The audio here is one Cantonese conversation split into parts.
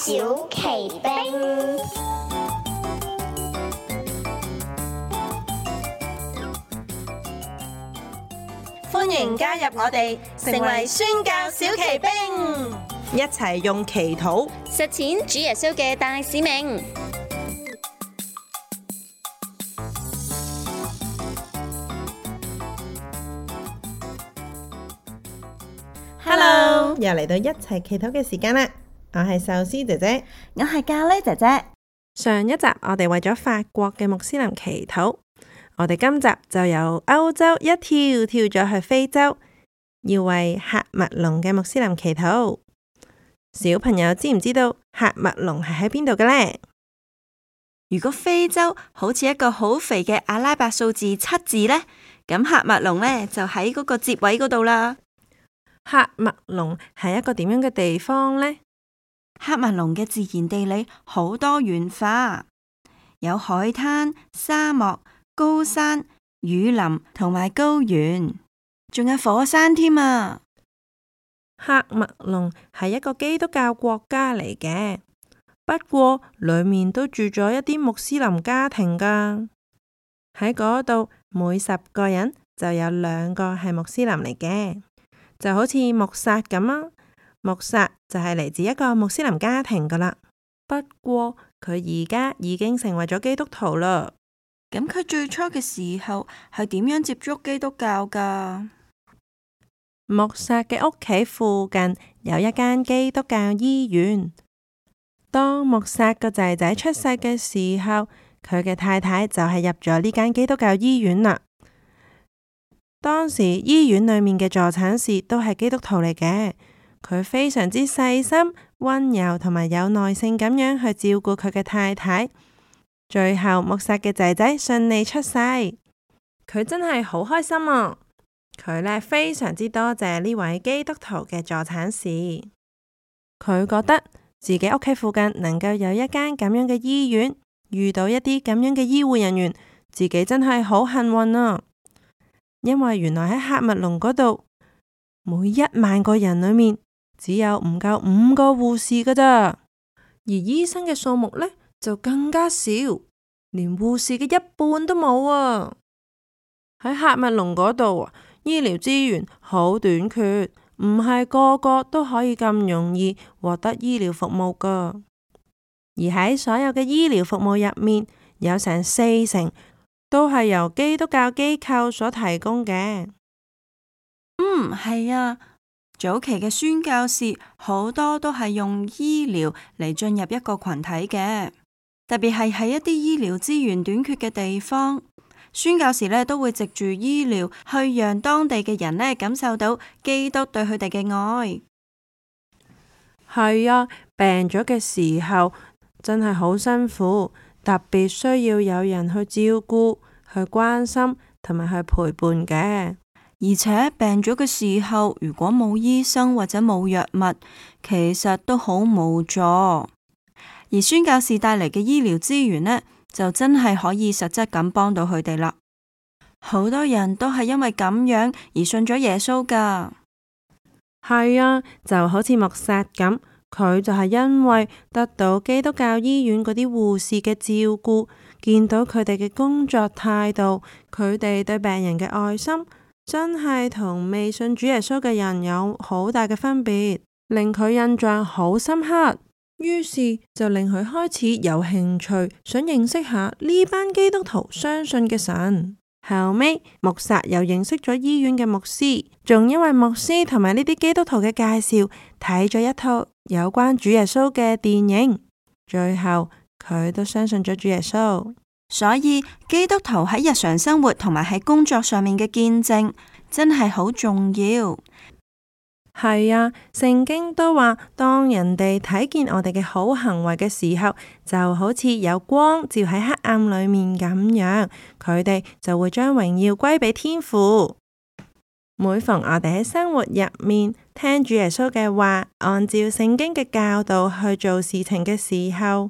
小奇兵。歡迎加入我哋，成為宣教小奇兵，一齊用祈禱實踐主耶穌嘅大使命。Hello，又嚟到一齊祈禱嘅時間啦！我係壽司姐姐，我係咖喱姐姐。上一集我哋為咗法國嘅穆斯林祈禱，我哋今集就由歐洲一跳咗去非洲，要為喀麥隆嘅穆斯林祈禱。小朋友知唔知道喀麥隆係喺邊度嘅呢？如果非洲好似一個好肥嘅阿拉伯數字7字呢，咁喀麥隆呢就喺嗰個接位嗰度啦。喀麥隆係一個點樣嘅地方呢？喀麥隆嘅自然地理好多元化，有海灘、沙漠、高山、雨林同埋高原，仲有火山添啊！喀麥隆係一個基督教國家嚟嘅，不過裏面都住咗一啲穆斯林家庭噶。喺嗰度，每10個人就有2個係穆斯林嚟嘅，就好似穆薩咁啊。穆薩就係嚟自一個穆斯林家庭噶啦，不過佢而家已經成為咗基督徒啦。咁佢最初嘅時候係點樣接觸基督教噶？穆薩嘅屋企附近有一間基督教醫院。當穆薩個仔仔出世嘅時候，佢嘅太太就係入咗呢間基督教醫院啦。當時醫院裏面嘅助產士都係基督徒嚟嘅。佢非常之細心、溫柔同埋有耐性咁樣去照顧佢嘅太太。最後穆薩嘅仔仔順利出世，佢真係好開心啊！佢呢非常之多謝呢位基督徒嘅助產士。佢覺得自己屋企附近能夠有一間咁樣嘅醫院，遇到一啲咁樣嘅醫護人員，自己真係好幸運啊！因為原來喺喀麥隆嗰度，每1萬個人裏面只有唔夠5個護士噶咋，而醫生嘅數目呢就更加少，連護士嘅1半都冇啊！喺喀麥隆嗰度啊，醫療資源好短缺，唔係個個都可以咁容易獲得醫療服務噶。而喺所有嘅醫療服務入面，有成40%都係由基督教機構所提供嘅。係啊，早期嘅宣教士好多都係用醫療嚟進入一個群體嘅，特別係喺一啲醫療資源短缺嘅地方，宣教士呢都會藉住醫療去讓當地嘅人呢感受到基督對佢哋嘅愛。係啊，病咗嘅時候真係好辛苦，特別需要有人去照顧、去關心同埋去陪伴嘅。而且病咗嘅時候，如果冇醫生或者冇藥物，其實都好無助。而宣教士帶嚟嘅醫療資源呢，就真係可以實質咁幫到佢哋啦。好多人都係因為咁樣而信咗耶穌噶。係啊，就好似穆薩咁，佢就係因為得到基督教醫院嗰啲護士嘅照顧，見到佢哋嘅工作態度，佢哋對病人嘅愛心，真係同未信主耶穌嘅人有好大嘅分別，令佢印象好深刻。於是就令佢開始有興趣，想認識下呢班基督徒相信嘅神。後尾穆薩又認識咗醫院嘅牧師，仲因為牧師同埋呢啲基督徒嘅介紹，睇咗一套有關主耶穌嘅電影。最後佢都相信咗主耶穌。所以基督徒喺日常生活同埋喺工作上面嘅見證真係好重要。係啊，聖經都話，當人哋睇見我哋嘅好行為嘅時候，就好似有光照喺黑暗裏面咁樣，佢哋就會將榮耀歸俾天父。每逢我哋喺生活入面聽主耶穌嘅話，按照聖經嘅教導去做事情嘅時候，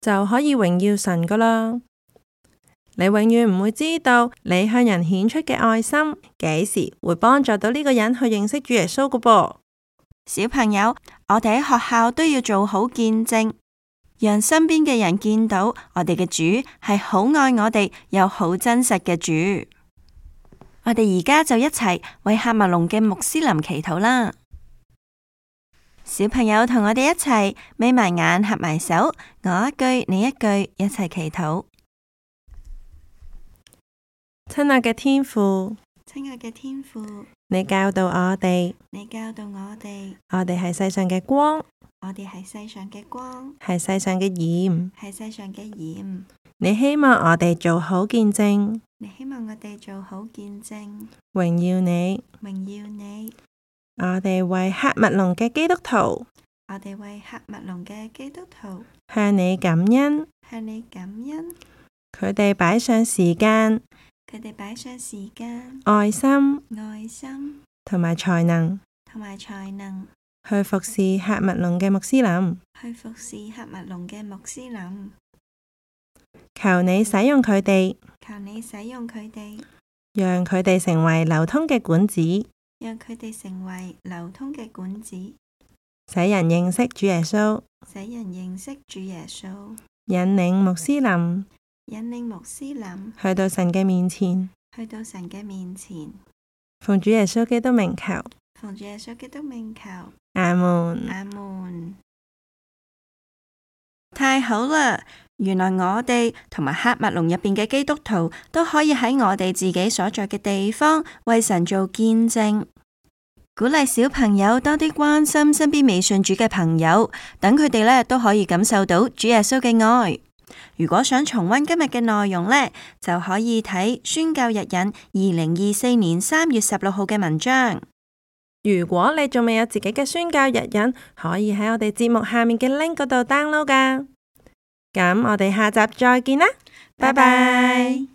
就可以榮耀神噶啦。你永遠唔會知道你向人顯出嘅愛心幾時會幫助到呢個人去認識主耶穌噶噃。小朋友，我哋喺學校都要做好見證，讓身邊嘅人見到我哋嘅主係好愛我哋又好真實嘅主。我哋而家就一齊為喀麥隆嘅穆斯林祈禱啦。小朋友同我哋一齊眯埋眼合埋手，我一句你一句，一齊祈禱。親愛嘅天父，親愛嘅天父，你教導我哋，我哋係世上嘅光，我哋係世上嘅光，係世上嘅鹽，係世上嘅鹽。你希望我哋做好見證，榮耀你。我哋為喀麥隆嘅基督徒，向你感恩，佢哋擺上時間、愛心同埋才能去服侍喀麥隆嘅穆斯林。求你使用佢哋，讓佢哋成為流通嘅管子，使人認識主耶穌，引領穆斯林去到神嘅面前，奉主耶穌基督名求，阿門。太好啦！原來我哋同埋喀麥隆入邊嘅基督徒都可以喺我哋自己所在嘅地方為神做見證，鼓勵小朋友多啲關心身邊未信主嘅朋友，等佢哋呢都可以感受到主耶穌嘅愛。如果想重溫今日嘅內容呢，就可以睇宣教日引2024年3月16號嘅文章。如果你仲未有自己嘅宣教日引，可以喺我哋節目下面嘅 link 嗰度 download 㗎。咁我哋下集再見啦，拜拜。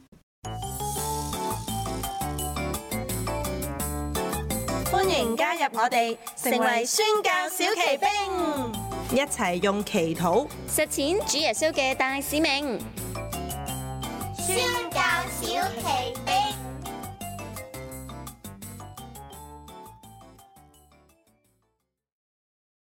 歡迎加入我哋，成為宣教小騎兵，一齊用祈禱實踐主耶穌嘅大使命。宣教小奇兵。